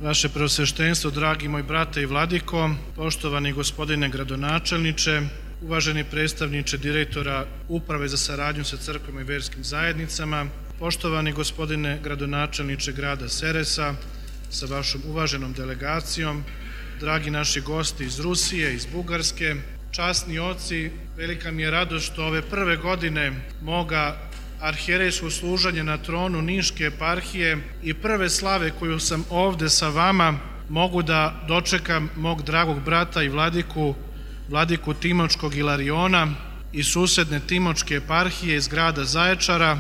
Vaše preosveštenstvo, dragi moj brate i vladiko, poštovani gospodine gradonačelniče, uvaženi predstavniče direktora Uprave za saradnju sa crkvama i verskim zajednicama, poštovani gospodine gradonačelniče grada Seresa sa vašom uvaženom delegacijom, dragi naši gosti iz Rusije, iz Bugarske, časni oci, velika mi je radost što ove prve godine moga arhijerejskog služenja na tronu Niške eparhije i prve slave koju sam ovde sa vama mogu da dočekam mog dragog brata i vladiku Timočkog Ilariona iz susedne Timočke eparhije iz grada Zaječara,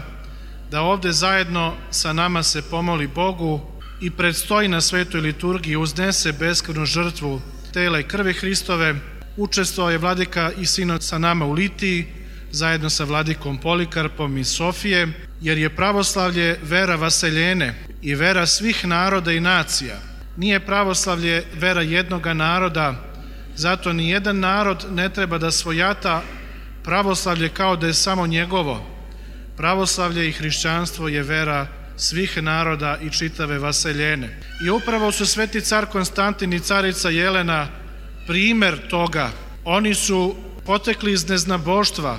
da ovde zajedno sa nama se pomoli Bogu i predstoji na svetoj liturgiji, uznese beskrvnu žrtvu tela i krvi Hristove. Učestvovao je vladika i sinod sa nama u Litiji, zajedno sa vladikom Polikarpom iz Sofije, jer je pravoslavlje vera vaseljene i vera svih naroda i nacija. Nije pravoslavlje vera jednoga naroda, zato ni jedan narod ne treba da svojata pravoslavlje kao da je samo njegovo. Pravoslavlje i hrišćanstvo je vera svih naroda i čitave vaseljene. I upravo su sveti car Konstantin i carica Jelena primer toga. Oni su potekli iz neznaboštva,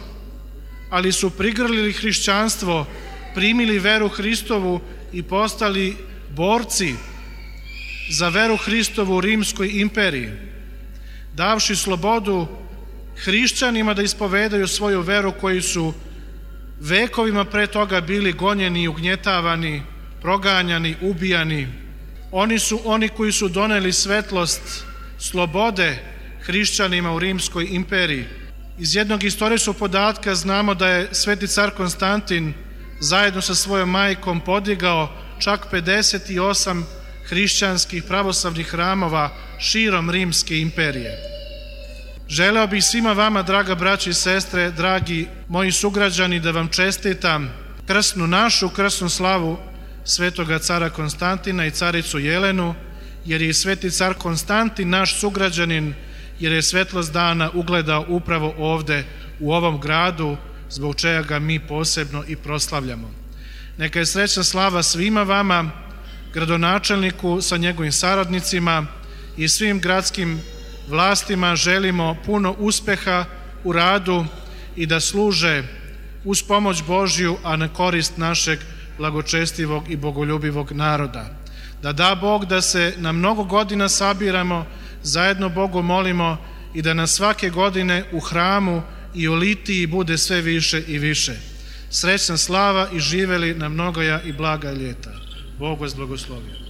ali su prigrlili hrišćanstvo, primili veru Hristovu i postali borci za veru Hristovu u Rimskoj imperiji, davši slobodu hrišćanima da ispovedaju svoju veru koji su vekovima pre toga bili gonjeni i ugnjetavani, proganjani, ubijani. Oni su oni koji su doneli svetlost slobode hrišćanima u Rimskoj imperiji. Iz jednog istorijskog podatka znamo da je sveti car Konstantin zajedno sa svojom majkom podigao čak 58 hrišćanskih pravoslavnih hramova širom Rimske imperije. Želeo bih svima vama, draga braća i sestre, dragi moji sugrađani, da vam čestitam krsnu slavu svetoga cara Konstantina i caricu Jelenu, jer je sveti car Konstantin naš sugrađanin, jer je svetlost dana ugledao upravo ovde u ovom gradu, zbog čega ga mi posebno i proslavljamo. Neka je srećna slava svima vama, gradonačelniku sa njegovim saradnicima i svim gradskim vlastima. Želimo puno uspeha u radu i da služe uz pomoć Božju, a na korist našeg blagočestivog i bogoljubivog naroda. Da da Bog da se na mnogo godina sabiramo, zajedno Bogu molimo i da nas svake godine u hramu i u Litiji bude sve više i više. Srećna slava i živeli na mnogoja i blaga ljeta. Bog vas blagoslovio.